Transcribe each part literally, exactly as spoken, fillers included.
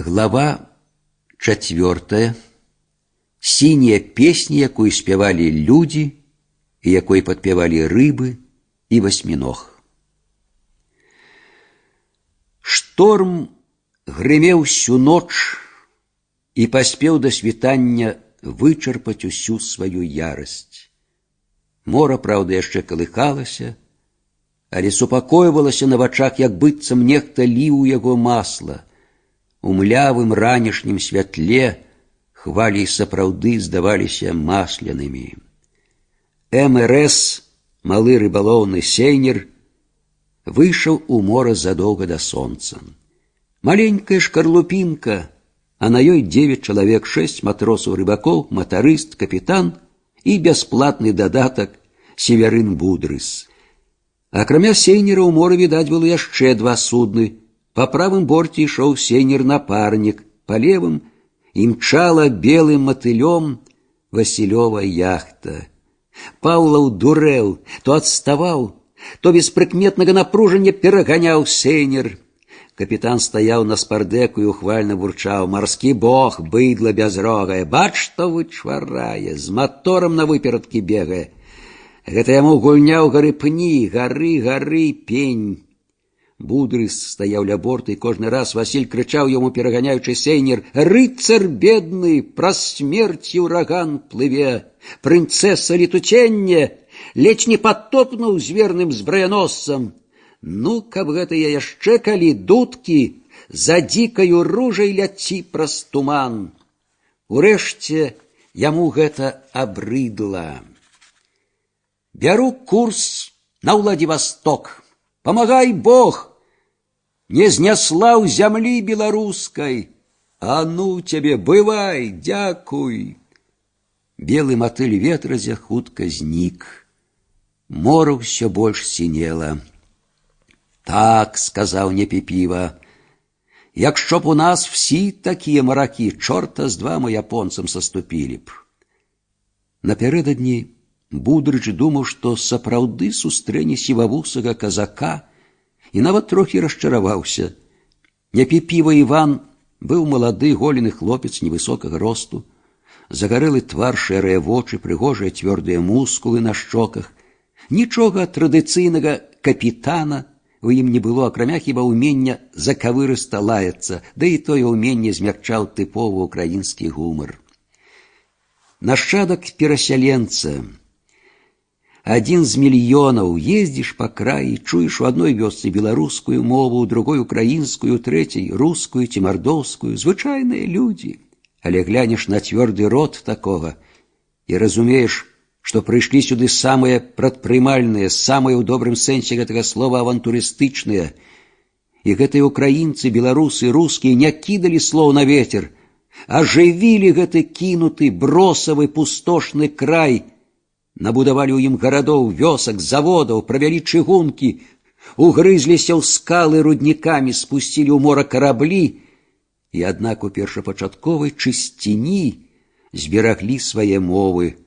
Глава чацвёртая. Сіняя песня, якую спявалі людзі і якой падпявалі рыбы і васьміног. Шторм грымеў всю ноч і паспеў да світання вычарпаць усю сваю ярасць. Мора, праўда, яшчэ калыхалася, але супакойвалася на вачах, як быццам нехта ліў у яго масла. У млявым ранішнім святле хвалі сапраўды здаваліся маслянымі. эм эр эс, малы рыбалоўны сейнер, выйшаў у мора задоўга да сонца. Маленькая шкарлупінка, а на ёй девять чалавек, шесть матросаў-рыбакоў, матарыст, капітан і бясплатны дадатак Северын Будрыс. Акрамя сейнера ў моры відаць было яшчэ два судны. Па правым борце ішоў сейнер-напарнік, па левым імчала белым матылём Васілёва яхта. Паўлаў дурэў, то адставаў, то без прыкметнага напружання пераганяў сейнер. Капітан стаяў на спардэку і ухвальна бурчаў: «Марскі бог, быдла бязрогае, бач, што вычварае, з маторам на выперадкі бегае. Гэта яму гульня ў гары пні, гары, гары, пень». Будрыс стаяў ля борта, і кожны раз Васіль крычаў яму, пераганяючы сейнер: «Рыцар бедны, праз смерць і ўраган плыве! Прынцэса летуценне, ледзь не падтопнуў з верным збраяносцам! Ну, каб гэта я яшчэ калі дудкі за дзікаю ружай ляці праз туман!» Урэшце яму гэта абрыдла. «Бяру курс на Владивосток! Памагай Бог! Не зняслаў зямлі беларускай! А ну цябе, бывай, дзякуй!» Белы матыль ветразя хутка знік. Мора ўсё больш сінела. «Так, — сказаў Непіпіва, — якщо б у нас всі такія маракі, чорта з два мы японцам саступілі б». Напярэдадні Будрыч думаў, што сапраўды сустрэне сівавусага казака, і нават трохі расчараваўся. Непіпіва Іван быў малады голены хлопец невысокага росту, загарэлы твар, шэрыя вочы, прыгожыя цвёрдыя мускулы на шчоках. Нічога традыцыйнага капітана у ім не было, акрамя хіба ўмення закавырыста лаяцца, да і тое ўменне змякчаў тыповы ўкраінскі гумар. Нашчадак перасяленца, адзін з мільёнаў, ездзіш па краі, чуеш у адной вёсцы беларускую мову, у другой украінскую, у трэцяй рускую ці мардоўскую, звычайныя людзі. Але глянеш на цвёрды рот такога і разумееш, што прыйшлі сюды самыя прадпрымальныя, самыя ў добрым сэнсе гэтага слова авантурыстычныя. І гэтыя украінцы, беларусы, рускія не кідалі слоў на ветер, а жывілі гэты кінуты, бросавы, пустошны край, набудавалі ў ім гарадоў, вёсак, заводаў, правялі чыгункі, угрызліся ў скалы руднікамі, спусцілі ў мора караблі, і аднак у першапачатковай чысціні збераглі свае мовы,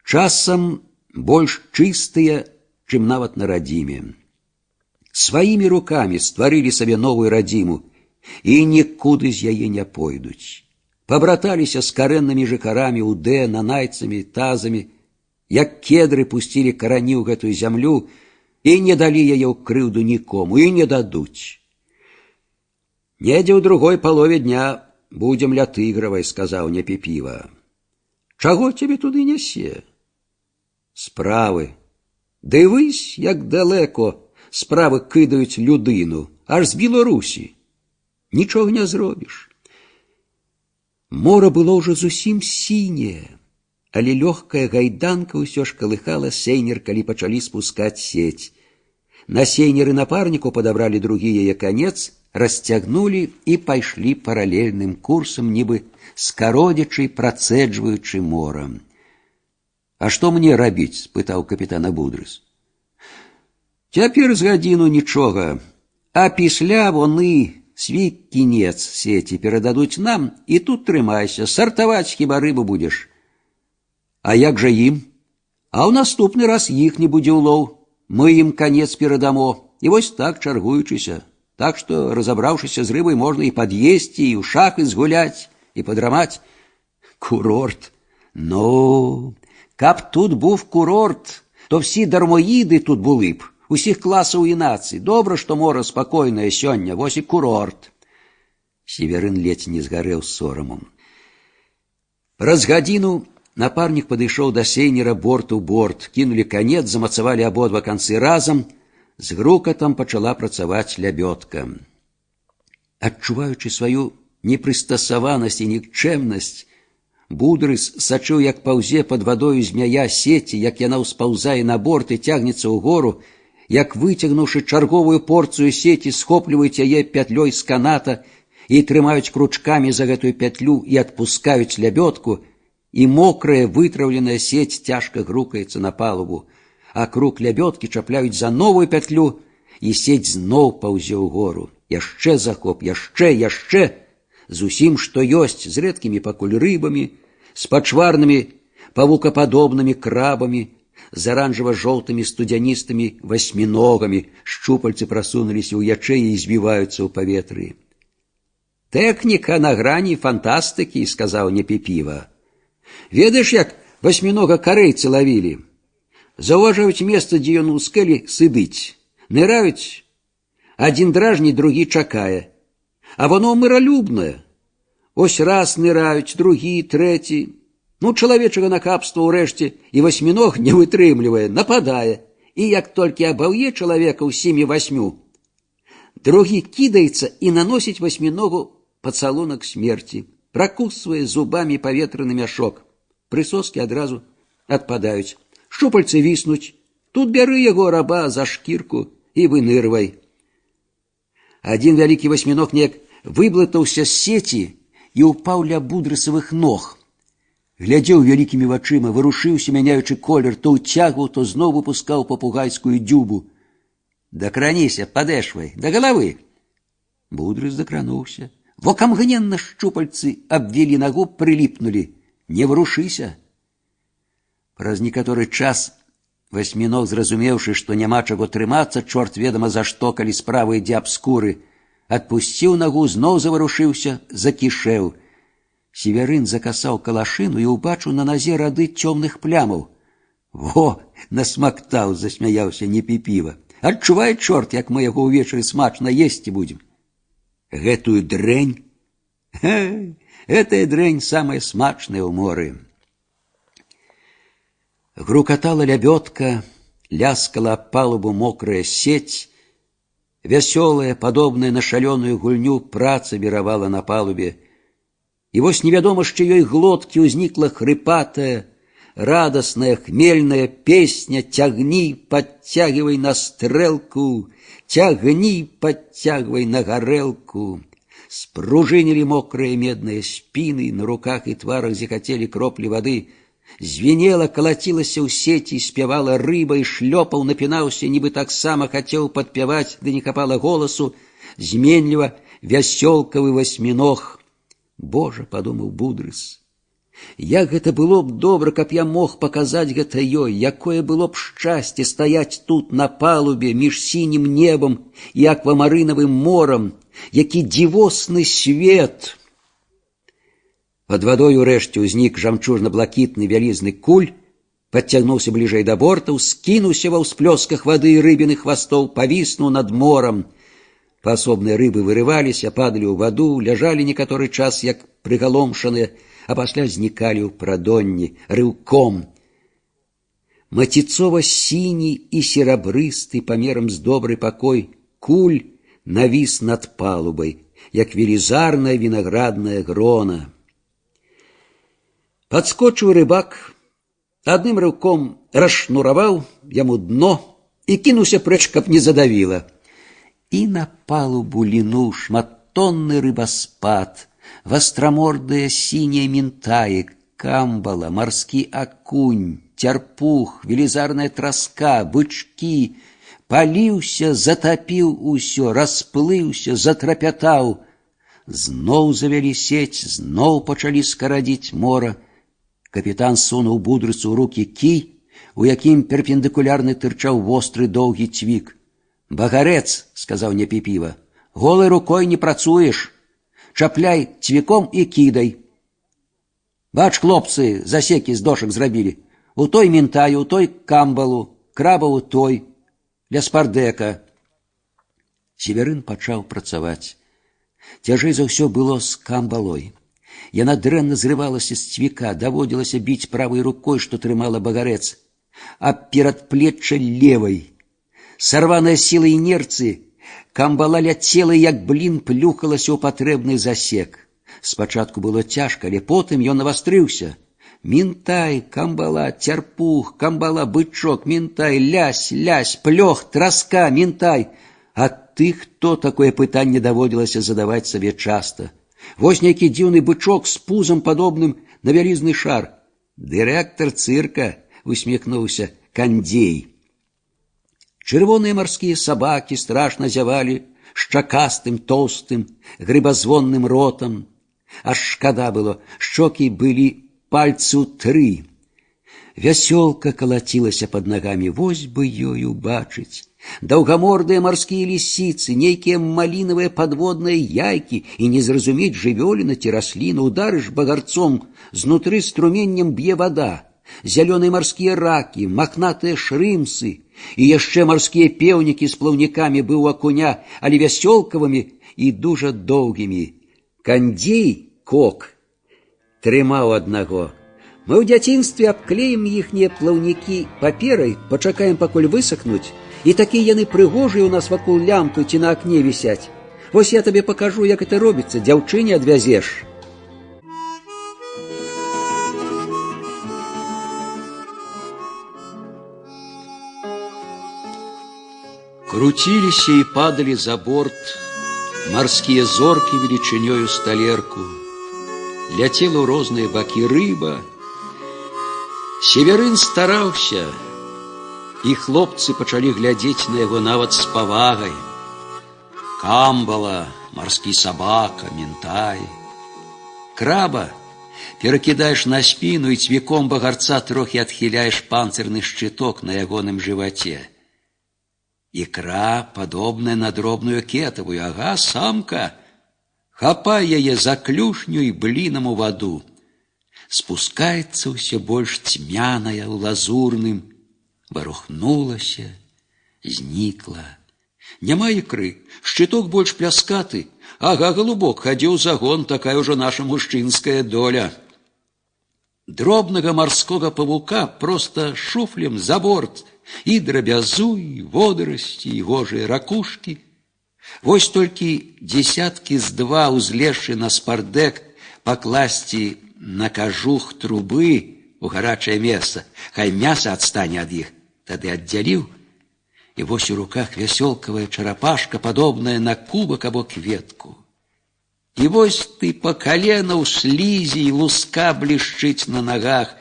часам больш чыстыя, чым нават на радзіме. Сваімі рукамі стварылі сабе новую радзіму і нікуды з яе не пойдуць. Пабраталіся з карэннымі жыхарамі Удэ, нанайцамі, тазамі, як кедры пусцілі карані ў гэтую зямлю і не далі яе ў крыўду нікому, і не дадуць. «Недзе ў другой палове дня будзем ля Тыгравай», — сказаў Непіпіва. «Чаго цябе туды нясе?» «Справы. Дывись, як далеко справы кидаюць людину, аж з Білорусі. Нічога не зробіш». Мора было ўжо зусім сіняе, але лёгкая гайданка ўсё ж калыхала сейнер, калі пачалі спускаць сеть. На сейнеры напарніку падабралі другі яе канец, расцягнулі і пайшлі паралельным курсам, нібы скародзячы, працэджваючы мора. «А што мне рабіць?» — спытаў капітана Будрыс. «Цяпер з гадзіну нічога, а після вони свій кінец сеці перададуць нам, і тут трымайся, сартаваць хіба рыбу будзеш». «А як жа ім? А ў наступны раз іх не будзе ўлоў. Мы ім канец перадамо, і вось так чаргуючыся. Так што, разабраўшыся з рыбай, можна і пад'есці, і ў шахы згуляць, і падрамаць. Курорт. Ну, каб тут був курорт, то всі дармоїди тут були б, усіх класаў і нацый. Добра, што мора спакойнае сёння, вось і курорт. Северын ледзь не згарэў сорамам. Праз гадзіну напарнік падышоў да сейнера борт у борт, кінулі канец, замацавалі абодва канцы разам, з грукатам пачала працаваць лябёдка. Адчуваючы сваю непрыстасаванасць і нікчэмнасць, Будрыс сачыў, як паўзе пад вадою змяя сеці, як яна ўспаўзае на борт і цягнецца ўгору, як, выцягнуўшы чарговую порцыю сеці, схопліваюць яе пятлёй з каната і трымаюць кручкамі за гэтую пятлю і адпускаюць лябёдку, і мокрая вытраўленая сеть цяжка грукаецца на палубу, а крук лябёдкі чапляюць за новую пятлю, і сеть зноў паўзе ўгору. Яшчэ захоп, яшчэ, яшчэ, з усім, што ёсць, з рэдкімі пакуль рыбамі, з пачварнымі павукападобнымі крабамі, з аранжава-жоўтымі студзяністымі васьміногамі. Шчупальцы прасунуліся ў ячэі і збіваюцца ў паветры. «Тэхніка на грані фантастыкі», — сказаў Непіпіва. «Ведаеш, як васьмінога карэйцы лавілі? Заўважаюць месца, дзе ён у скэлі сыдыць. Ныраюць, адзін дражніць, другі чакае. А воно миролюбне. Ось раз ныраюць, другі, трэці. Ну, чалавечага нахабства ўрэшце і васьміног не вытрымлівае, нападае. І як толькі абаўе чалавека ўсімі васьмю, другі кідаецца і наносіць васьміногу пацалунак смерці, пракусвае зубамі паветраны мяшок. Прысоскі адразу адпадаюць. Шчупальцы віснуць. Тут бяры яго, раба, за шкірку і вынырвай. Адзін вялікі васьміног неяк выблытаўся з сеці і ўпаў ля будрысавых ног. Глядзеў вялікімі вачыма, варушыўся, мяняючы колер, то ўцягваў, то зноў выпускаў папугайскую дзюбу. «Дакраніся, падэшвай, да галавы!» Будрыс дакрануўся. Вокамгненна шчупальцы абвілі нагу, прыліпнулі. «Не варушыся!» Праз некаторы час васьміног, зразумеўшы, што няма чаго трымацца, чорт ведама за што, калі справа ідзе аб скуры, адпусціў нагу, зноў заварушыўся, закішэў. Северын закасаў калашыну і ўбачыў на назе рады цёмных плямаў. «Во, насмактаў», — засмяяўся Непіпіва. «Адчувай, чорт, як мы яго ўвечары смачна есці будзем». «Гэтую дрэнь? Ха, гэтая дрэнь самая смачная ў моры». Грукатала лябёдка, ляскала аб палубу мокрая сеть. Вясёлая, падобная на шалёную гульню, праца віравала на палубе. І вось невядома з чыёй глоткі ўзнікла хрыпатая, радасная, хмельная песня «Цягні, падцягвай на стрэлку, цягні, падцягвай на гарэлку». Спружынілі мокрыя медныя спіны, на руках і тварах зіхацелі кроплі вады. Звенела, калацілася ў сеці, спявала рыба і шлёпаў, напінаўся, нібы таксама хацеў падпяваць, ды не хапала голасу, зменліва вясёлкавы васьміног. «Божа», — падумаў Будрыс, як гэта было б добра, каб я мог паказаць гэта ёй, якое было б шчасце стаяць тут на палубе між сінім небам і аквамарынавым морам, які дзівосны свет. Пад вадой урэшце ўзнік жамчужна-блакітны вялізны куль, падцягнуўся бліжэй да бортаў, скінуўся ва ўсплёсках вады рыбіных хвастоў, павіснуў над морам. Паасобныя рыбы вырываліся, падалі ў ваду, ляжалі некаторы час, як прыгаломшаныя, а пасля знікалі ў прадонні рыўком. Маціцова-сіні і серабрысты памерам з добры пакой куль навіс над палубай, як велізарная вінаградная грона. Падскочыў рыбак, адным рыўком расшнураваў яму дно і кінуўся прэч, каб не задавіла. І на палубу лінуў шматтонны рыбаспад, вастрамордыя сінія мінтаі, камбала, марскі акунь, цярпух, велізарная траска, бычкі. Паліўся, затапіў усё, расплыўся, затрапятаў. Зноў завялі сеть, зноў пачалі скарадзіць мора. Капітан сунуў Будрысу ў рукі кій, у якім перпендыкулярны тырчаў востры доўгі цвік. «Багарэц», — сказаў Непіпіва. Голой рукой не працуеш. Чапляй цвіком і кідай. Бач, хлопцы, засекі з дошак зрабілі. У той мінтаю, у той камбалу, краба у той, ля спардека. Северын пачаў працаваць. Цяжэй за ўсё было з камбалой. Яна дрэнна зрывалася з цвіка, даводзілася біць правай рукой, што трымала багарэц, а перадплечча левай. Сарваная сіла інерцыі, камбала ляцела, як блін плюхалася ў патрэбны засек. Спачатку было цяжка, але потым ён навастрыўся. Мінтай, камбала, цярпух, камбала, бычок, мінтай, лясь, лясь, плёх, траска, мінтай. А ты хто, такое пытанне даводзілася задаваць сабе часта. Вось нейкі дзіўны бычок з пузам падобным на вялізны шар. Дырэктар цырка, усміхнуўся Кандзей. Чырвоныя марскія сабакі страшна зявалі шчакастым, тоўстым, грыбазвонным ротам. Аж шкада было, шчокі былі пальцу тры. Вясёлка калацілася пад нагамі, вось бы ёй убачыць. Даўгамордыя марскія лісіцы, нейкія малінавыя падводныя яйкі і не зразумець, жывёліна ці расліна. Ударыш багарцом, знутры струменнем б'е вада. Зялёныя марскія ракі, махнатыя шрымсы і яшчэ марскія пеўнікі з плаўнікамі быў акуня, але вясёлкавымі і дужа доўгімі. Кандзей, кок, трымаў аднаго. Мы ў дзяцінстве абклеім іхнія плаўнікі паперай, пачакаем, пакуль высахнуць, і такія яны прыгожыя ў нас вакол лямпы ці на акне вісяць. Вось я табе пакажу, як это робіцца, дзяўчыне адвязеш. Круціліся і падалі за борт марскія зоркі велічынёю з талерку. Ляцела ў розныя бакі рыба. Северын стараўся, і хлопцы пачалі глядзець на яго нават з павагай. Камбала, марскі сабака, мінтай. Краба перакідаеш на спіну і цвіком багарца трохі адхіляеш панцырны шчыток на ягоным жываце. Ікра, падобная на дробную кетавую, ага, самка. Хапай яе за клюшню і блінам у ваду. Спускаецца ўсё больш цьмяная ў лазурным. Варухнулася, знікла. Няма ікры, шчыток больш пляскаты. Ага, голубок, хадзі ў загон, такая ўжо наша мужчынская доля. Дробнага марскога павука проста шуфлем за борт. І драбязу, і водарасці, і гожыя ракушкі. Вось толькі дзесяткі з два узлезшы на спардек пакласці на кажух трубы у гарачае месца, хай мяса адстане ад іх, тады аддзяліў, і вось у руках вясёлкавая чарапашка, падобная на кубак або кветку. І вось ты па калена ў слізі, і луска блішчыць на нагах,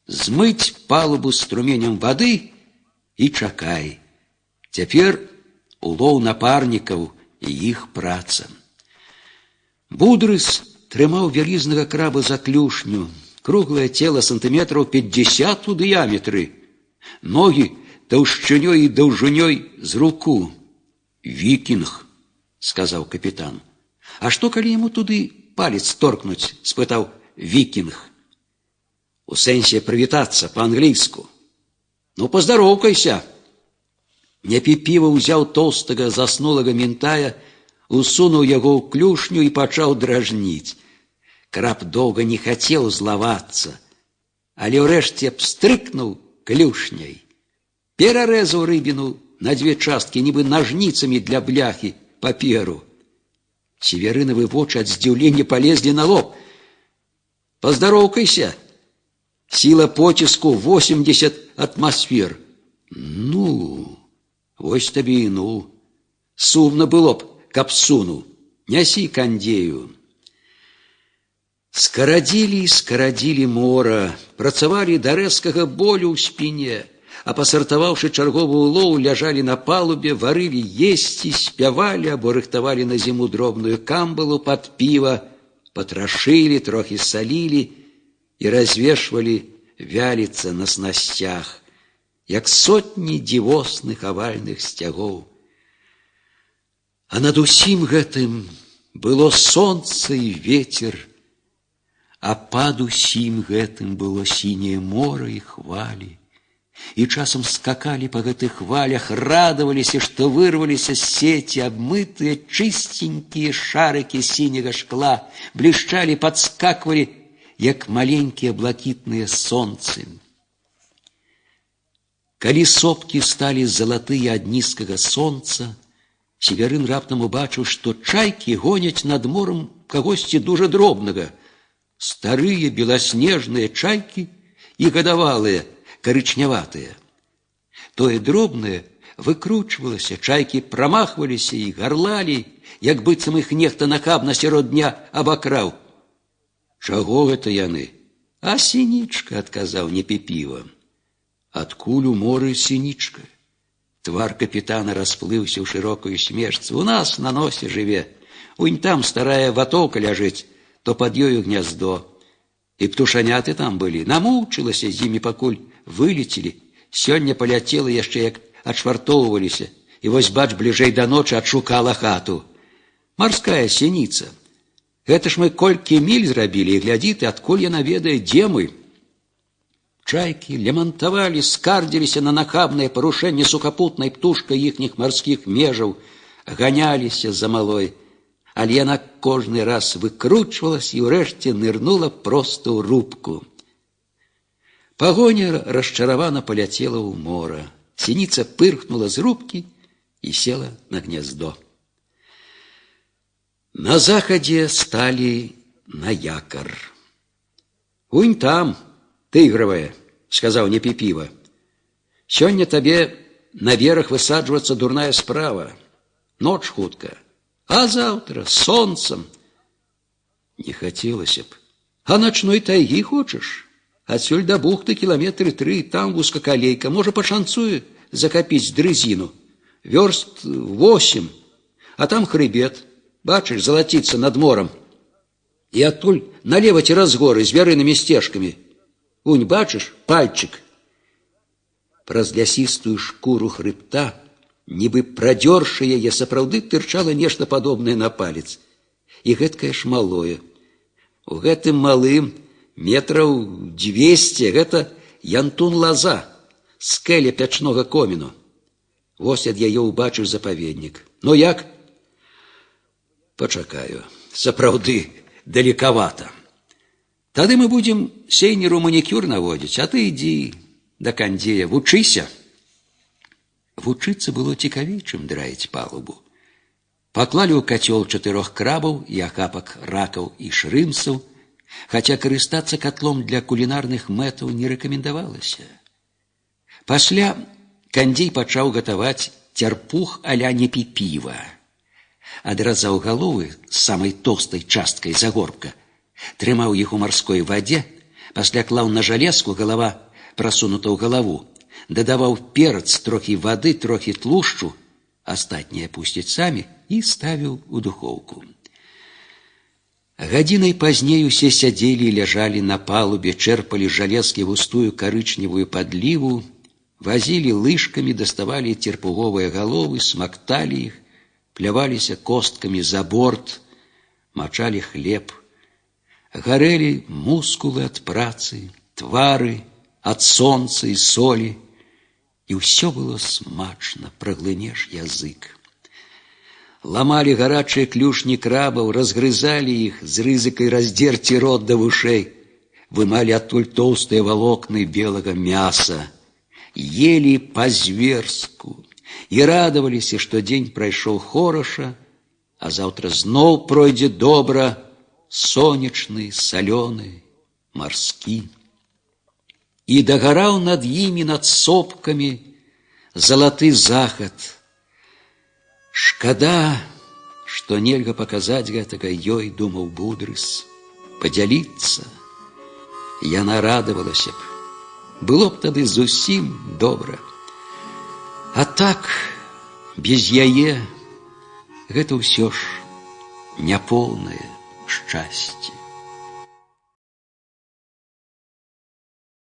змыць палубу струменем вады і чакай. Цяпер улоў напарнікаў і іх праца. Будрыс трымаў вялізнага краба за клюшню, круглае цела сантыметраў пятьдесят у дыяметры, ногі таўшчынёй і даўжынёй з руку. «Вікінг», — сказаў капітан. «А што, калі яму туды палец торкнуць?» — спытаў Вікінг. «У сэнсе прывітацца па-англійску». «Ну, поздароўкайся». Непіпіва ўзяў тоўстага заснулага мінтая, усунуў яго ў клюшню і пачаў дражніць. Краб доўга не хацеў злавацца, але ўрэшце пстрыкнуў клюшняй. Перарэзаў рыбіну на дзве часткі, нібы нажніцамі для бляхі, паперу. Северынавы вочы ад здзіўлення палезлі на лоб. «Поздароўкайся. Сила поціску восемьдесят атмосфер». «Ну, вось табе і ну. Сумна было б, каб сунуў. Нясі Кандзею». Скарадзілі і скарадзілі мора, працавалі да рэзкага болю ў спіне, а пасартаваўшы чарговы улоў, ляжалі на палубе, варылі есці, спявалі або рыхтавалі на зіму дробную камбалу пад піва, патрашылі, трохі салілі і развешвалі вяліцца на снасцях, як сотні дзівосных авальных сцягоў. А над усім гэтым было сонца і ветер, а пад усім гэтым было сіняе мора і хвалі. І часам скакалі па гэтых хвалях, радаваліся, што вырваліся з сеці абмытыя чыстенькія шарыкі сіняга шкла, блішчалі, падскаквалі, як маленькія блакітныя сонцы. Калі сопкі сталі залатыя ад нізкага сонца, Северын раптам убачыў, што чайкі гоняць над морам кагосьці дужа дробнага. Старыя беласнежныя чайкі і гадавалыя, карычняватыя. Тое дробнае выкручвалася, чайкі прамахваліся і гарлалі, як быццам іх нехта нахабна сярод дня абакраў. Чаго гэта яны? А сінічка, адказаў Непіпіва. Адкуль у моры сінічка? Твар капітана расплыўся ў шырокую смешцу. У нас на носе жыве. Унь там старая ватоўка ляжыць, то пад ёю гняздо. І птушаняты там былі. Намучылася з імі, пакуль вылецелі. Сёння паляцела яшчэ, як адшвартоўваліся. І вось, бач, бліжэй да ночы адшукала хату. Марская сініца. Гэта ж мы колькі міль зрабілі, і глядзі ты, адкуль яна ведае, дзе мы. Чайкі лямантавалі, скардзіліся на нахабнае парушэнне сухапутнай птушкай іхніх марскіх межаў, ганяліся за малой. Але яна кожны раз выкручвалась і ўрэшце нырнула проста ў рубку. Пагоня расчаравана паляцела ў мора. Сініца пырхнула з рубкі і села на гняздо. На захадзе сталі на якар. Унь там, тыгравая, сказаў Непіпіва. Сёння табе на бераг высаджвацца дурная справа. Ноч хутка. А завтра сонцем. Не хацелася б. А начной тайгі хочаш? Адсюль да бухты кіламетры тры, там вузкакалейка. Можа, пашанцуе закапіць дрызіну. Вёрст восем, а там хрыбет. Бачыш, залаціцца над морам. І адтуль налева цераз горы з вярынымі сцежкамі. Унь, бачыш, пальчык. Праз лясістую шкуру хрыбта, нібы прадзёршы яе, сапраўды тырчала нешта падобнае на палец. І гэткае ж малое. У гэтым малым метраў дзвесце, гэта янтун-лаза, скэля пячнога коміну. Вось ад яе ўбачыш запаведнік. Ну як? Пачакаю. Сапраўды далекавата. Тады мы будем сейнеру манікюр наводзіць, а ты ідзі да кандзея, вучыся. Вучыцца было цікавей, чым драіць палубу. Паклалі ў кацёл чатырох крабаў і ахапак ракаў і шрымсаў, хаця карыстацца катлом для кулінарных мэтаў не рэкамендавалася. Пасля кандзей пачаў гатаваць цярпух а-ля Непіпіва. Адразаў галовы з самай тоўстай часткай загорбка, трымаў іх у марской вадзе, пасля клаў на жалезку, галава прасунута ў галаву, дадаваў перац, трохі вады, трохі тлушчу, астатняе пусціць самі, і ставіў у духоўку. Гадзінай пазней усе сядзелі і ляжалі на палубе, чэрпалі жалезкі густую карычневую падліву, вазілі лыжкамі, даставалі церпуговыя галовы, смакталі іх, пляваліся косткамі за борт, мачалі хлеб. Гарэлі мускулы ад працы, твары ад сонца і солі, і ўсё было смачна, праглынеш язык. Ламалі гарачыя клюшні крабаў, разгрызалі іх з рызыкай раздзерці рот да вушэй, вымалі адтуль тоўстыя валокны белага мяса, елі па-зверску і радаваліся, што дзень прайшоў хораша, а заўтра зноў пройдзе добра, сонечны, салёны, марскі. І дагараў над імі, над сопкамі, залаты захад. Шкада, што нельга паказаць гэтага ёй, думаў Будрыс, падзяліцца. Яна радавалася б. Было б тады зусім добра. А так, без яе, гэта ўсё ж няпоўнае шчасце.